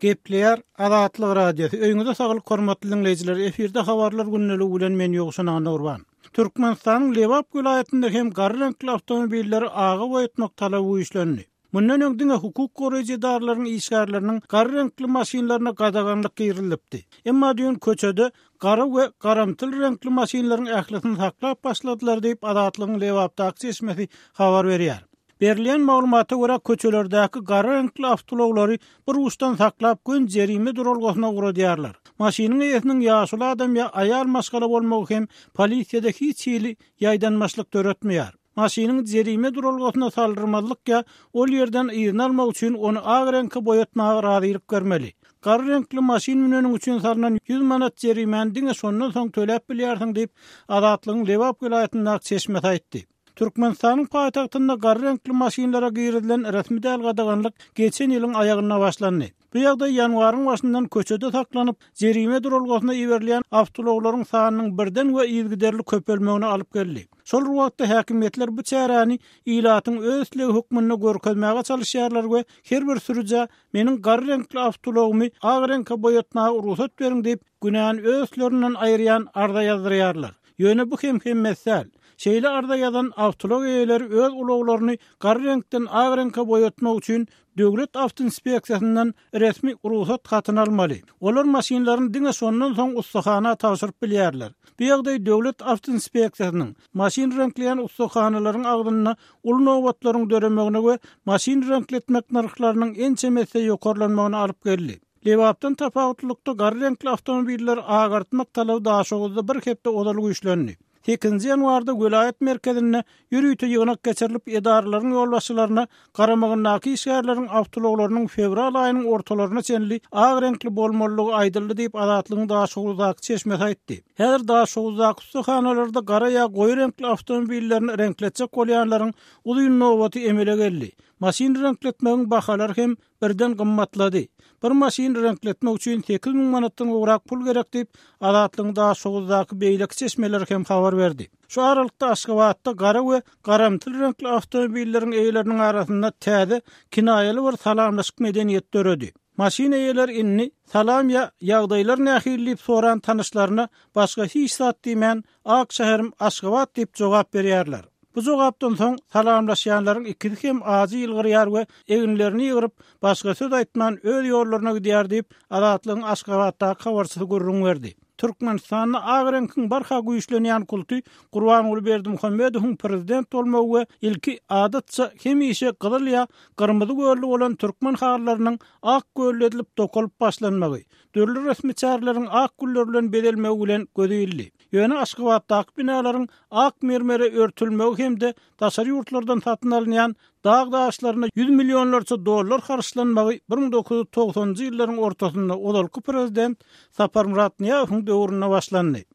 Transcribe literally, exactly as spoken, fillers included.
Gepleýär Azatlyk Radiosy. Öýüňize saglyk hormatly diňleýjiler. Efirde habarlar gündeligi bilen men Ýowşan Annaurban. Türkmenistanyň Lebap welaýatynda hem gara reňkli awtomobilleri aga boýatmak talaby güýçlendi. Mundan öň diňe hukuk goraýjy edaralaryň işgärleriniň gara reňkli maşynlaryna gadaganlyk girizilipdi. Emma düýn köçede gara we garamtyl reňkli maşynlaryň ählisini saklap başladylar diýip Azatlygyň Lebapdaky çeşmesi habar berýär. Berilýän maglumata görä köçelerdäki gara reňkli awtoulaglary bir uçdan saklap gün jerime duralgasyna ugradýarlar. Maşynyň eýesiniň ýaşuly adam ýa aýal maşgala bolmagy hem polisiýada hiç hili ýaýdanmaçlyk döretmeýär. Maşynyň jerime duralgasyna saldyrmazlyk ýa ol ýerden yzyny almak üçin ony ak reňke boýatmaga razylyk bermeli. Gara reňkli maşyn müneniň üçin salynan ýüz manat jerimäni diňe şondan soň töläp bilýärsiň diýip Azatlygyň Lebap welaýatyndaky çeşmesi aýtdy. Türkmenistanyň paýtagtynda gara reňkli maşynlara girizilen resmi däl gadaganlyk geçen ýylyň aýagynda başlandy. Bu ýagdaý ýanwaryň başyndan köçede saklanyp, jerime duralgasyna iberilýän awtoulaglaryň sanynyň birden we yzygiderli köpelmegine alyp geldi. Şol wagtda häkimiýetler bu çäräni ilatyň öz islegi hökmünde görkezmäge çalışýarlar we her bir sürüjä meniň gara reňkli awtoulagymy ak reňke boýatmaga rugsat beriň diýip, günäni öz üstlerinden aýyrýan arza ýazdyrýarlar. Ýöne bu hem hemmesi däl. Şeýle arza ýazan awtoulag eýeleri öz ulaglaryny gara reňkden ak reňke boýatmak üçin Döwlet awtoinspeksiýasyndan resmi rugsat hatyny almaly. Olar maşynlaryny diňe şondan soň ussahana tabşyryp bilýärler. Bu ýagdaý Döwlet awtoinspeksiýasynyň maşyn reňkleýän ussahanalaryň agzynda uly nobatlaryň döremegine we maşyn reňkletmek nyrhlarynyň ençemesi ýokarlanmagyna alyp geldi. Lebapdan tapawutlylykda gara reňkli awtomobiller agartmak talaby Daşoguzda bir hepde ozal güýçlendi. sekizinji ýanwarda welaýat merkezinde ýörite ýygnak geçirilip edaralaryň ýolbaşçylaryna garamagyndaky işgärleriň awtoulaglarynyň fewral aýynyň ortalaryna çenli ak reňkli bolmalydygy aýdyldy diýip Azatlygyň Daşoguzdaky çeşmesi aýtdy. Häzir Daşoguzdaky ussahanalarda gara ýa goýy reňkli awtomobillerini reňkletjek bolýanlaryň uzyn nobaty emele geldi. Maşyn reňkletmegiň bahalary hem birden gymmatlady. Bir maşyn reňkletmek üçin sekiz müň manatdan gowrak pul gerek diýip Azatlygyň Daşoguzdaky beýleki çeşmeleri hem habar berdi. Şu aralykda Aşgabatda gara we garamtyl reňkli awtomobilleriň eýeleriniň arasynda täze kinaýaly bir salamlaşyk medeniýeti döredi. Maşyn eýeleri indi salam ýa ýagdaýlar nähili diýip soran tanyşlaryna başga hiç zat diýmän ak şäherim Aşgabat diýip jogap berýärler. Bu jogapdan soň salamlaşýanlaryň ikisi hem ajy ýylgyrýar we eginlerini ýygyryp başga söz aýtman öz ýollaryna gidýär diýip Azatlygyň Aşgabatdaky habarçysy gürrüň berdi. Türkmenistanda ak reňkiň barha güýçlenýän kulty Gurbanguly Berdimuhamedowyň prezident bolmagy we ilki adatça hemişe gyzyl ýa gyrmyzy gölli bolan türkmen halylarynyň ak gölli edilip dokalyp başlanmagy, dürli resmi çäreleriň ak güller bilen bezelmegi bilen gözi ildi. Ýöne Aşgabatdaky binalaryň ak mermere örtülmegi hem-de daşary ýurtlardan satyn alynýan dag daşlaryna ýüz millionlarça dollar harçlanmagy bir müň dokuz ýüz togsanjy ýyllaryň ortasynda ozalky prezident Saparmyrat Nyýazowyň döwründe başlandy.